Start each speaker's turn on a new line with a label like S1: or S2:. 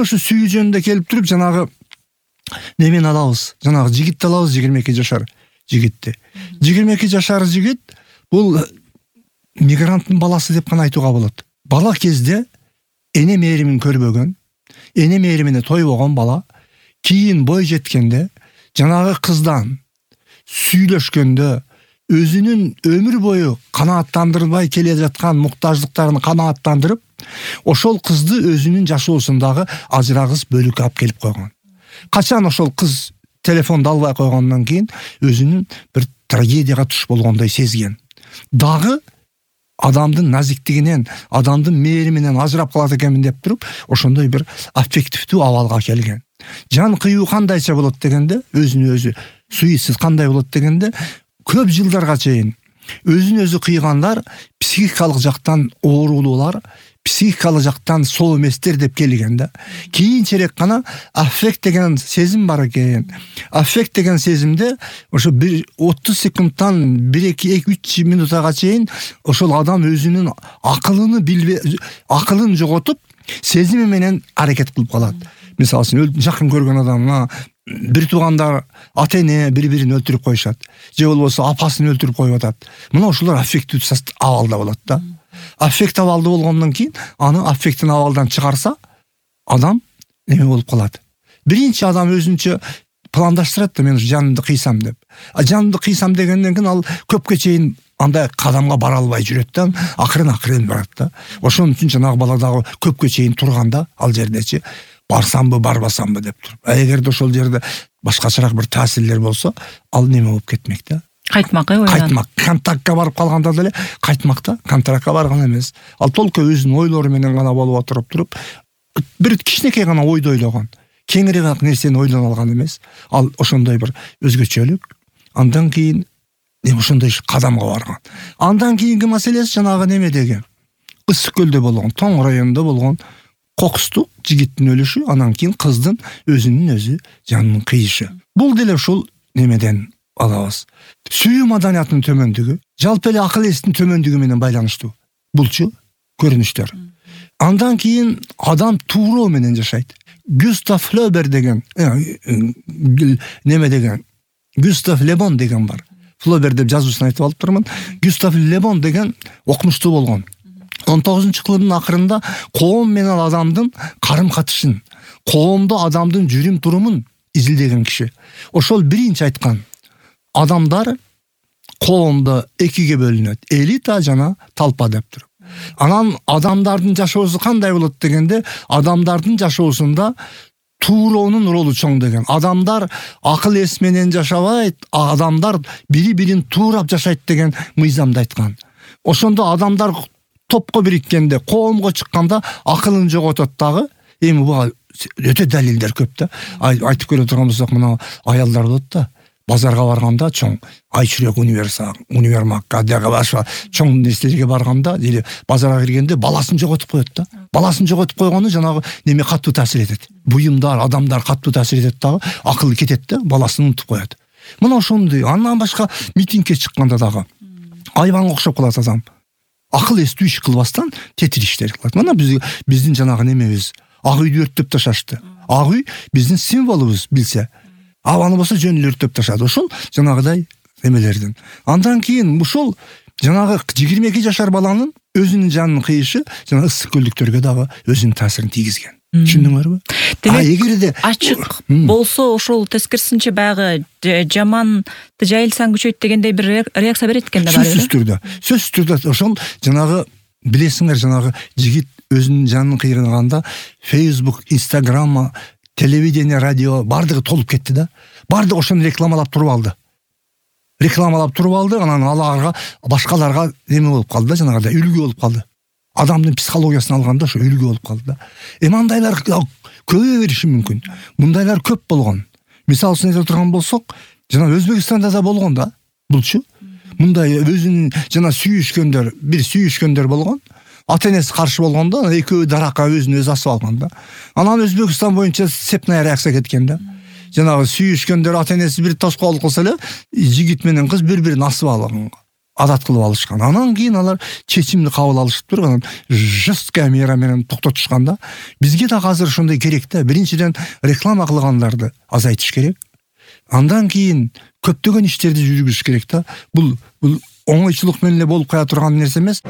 S1: ушу сүйүү жөнүндө келип туруп жанагы немени алабыз. Жанагы жигитти алабыз, 22 жашар жигитти. 22 жашар жигит бул мигранттын баласы деп гана айтууга болот. Бала кезде эне мээримин көрбөгөн, эне мээримине тойбогон бала кийин бой жеткенде жанагы кыздан сүйлөшкөндө өзүнүн өмүр бою канааттандырбай келе жаткан муктаждыктарын канааттандырып, ошол кызды өзүнүн жашоосундагы ажырагыс бөлүккө алып келип койгон. Качан ошол кыз телефонду албай койгондон кийин өзүнүн бир трагедияга туш болгондой сезген. Дагы адамдын назиктигинен, адамдын мээриминен ажырап калат экенмин деп туруп, ошондой бир аффективдүү абалга келген. Жан кыюу кандайча болот дегенде, өзүнө өзү суицид кандай болот дегенде, көп жылдарга чейин өзүн өзү кыйгандар психикалык жактан оорулуулар, психикалык жактан соо эместер деп келген да. Кийинчерээк гана аффект деген сезим бар экен. Аффект деген сезимде ошо 30 секундтан 1-2-3 минутага чейин ошол адам өзүнүн акылын жоготуп, сезими менен аракет кылып калат. Мисалы үчүн жакын көргөн адамга бир туугандар ата-эне бири-бирин өлтүрүп коюшат, же болбосо апасын өлтүрүп коюп атат. Мына ошолор аффектив абалда болот да. Аффект абалда болгондон кийин аны аффекттин абалдан чыгарса, адам эме болуп калат. Биринчи адам өзүнчө пландаштырат да, мен жанымды кыйсам деп. Жанымды кыйсам дегенден кийин ал көпкө чейин андай кадамга бара албай жүрөт да, акырын барат да. Ошон үчүн жанагы бала дагы көпкө чейин турганда ал жердечи барсамбы, барбасамбы деп туруп. Эгерде ошол жерде башкачараак бир таасирлер болсо, ал неме болуп кетмек да.
S2: Кайтмак,
S1: кайтмак. Контактка барып калганда деле кайтмак да, контрактка барган эмес. Ал толку өзүнүн ойлору менен гана болуп отуруп туруп, бир кичинекей гана ойду ойлогон. Кеңиреак нерсени ойлоно алган эмес. Ал ошондой бир өзгөчөлүк. Андан кийин ошондой кадамга барган. Андан кийинки маселеси жанагы неме деген. Ысык көлдө болгон, Тоң районунда болгон кокустук жигиттин өлүшү, анан кийин кыздын өзүнүн өзү жанынын кыйышы. Бул деле ушул немеден алабыз. Сүйүү маданиятынын төмөндүгү, жалпы эле акыл эстин төмөндүгү менен байланыштуу. Булчу көрүнүштөр. Андан кийин адам тууроо менен жашайт. Густав Флобер деген, неме деген, Густав Лебон деген бар. Флобер деп жазуусун айтып алып турмун. Густав Лебон деген окумуштуу болгон. 19-кылымдын акырында коом менен адамдын карым-катышын, коомдо адамдын жүрүм турумун изилдеген киши. Ошол биринчи айткан, адамдар коомдо экиге бөлүнөт, элита жана талпа деп туруп. Анан адамдардын жашоосу кандай болот дегенде, адамдардын жашоосунда тууроонун ролу чоң деген. Адамдар акыл эс менен жашабайт, адамдар бири-бирин туурап жашайт деген мыйзамды айткан. Ошондо адамдар топко бириккенде, коомго чыкканда акылын жоготот дагы. Эми буга өтө далилдер көп да. Айтып көрө турган болсок, мына аялдар болот да. Базарга барганда чоң Айчүрөк универмагга дагы башка чоң нерселерге барганда, или базарга киргенде баласын жоготуп коет да. Баласын жоготуп койгону жанагы неме каттуу таасир этет. Буюмдар, адамдар каттуу таасир этет дагы, акылы кетет да, баласын унутуп коет. Мына ошондой. Андан башка митингге чыкканда дагы айбанга окшоп калат адам. Акыл эстүү иш кылбастан тетир иштер кылат. Мына биздин жанагы немебиз, ак үйдү өрттөп ташашты. Ак үй биздин символубуз билсе. Аны болсо жөн эле өрттөп ташады. Ошол жанагыдай немелердин. Андан кийин ушул жанагы 22 жашар баланын өзүнүн жанынын кыйышы жана ысык көлдүктөргө дагы өзүнүн таасирин тийгизген. Түшүндүңөрбү?
S2: Эгерде ачык болсо ошол тескерисинче баягы жаманды жайылсаң күчөйт дегендей бир реакция берет экен да бар.
S1: Сөзсүз түрдө ошол жанагы билесиңер, жанагы жигит өзүнүн жанын кыйганганда Facebook, Instagram, телевидение, радио бардыгы толуп кетти да. Бардыгы ошону рекламалап туруп алды. Анан аларга башкаларга эме болуп калды да, жанагыдай үлгү болуп калды. Адамдын психологиясын алганда ошо үлгү болуп калды да. Мындайлар көбөйө бериши мүмкүн. Мындайлар көп болгон. Мисалы үчүн айта турган болсок, жана Өзбекстанда да болгон да. Булчу мындай өзүнүн жана сүйүшкөндөр болгон. Ата-энеси каршы болгондо, экөө даракка өзүн өзү асып алган да. Анан Өзбекстан боюнча цепная реакция кеткен да. Жанагы сүйүшкөндөр ата-энеси бир тоскоолдук кылса эле, жигит менен кыз бири-бирин асып алган. адат кылып алышкан. Анан кийин алар чечимди кабыл алышып туруп анан жесткая мера менен токтотушкан да. Бизге да азыр ошондой керек да. Биринчиден реклама кылгандарды азайтыш керек. Андан кийин көптөгөн иштерди жүргүзүш керек да. Бул оңойчулук менен эле болуп кая турган нерсе эмес.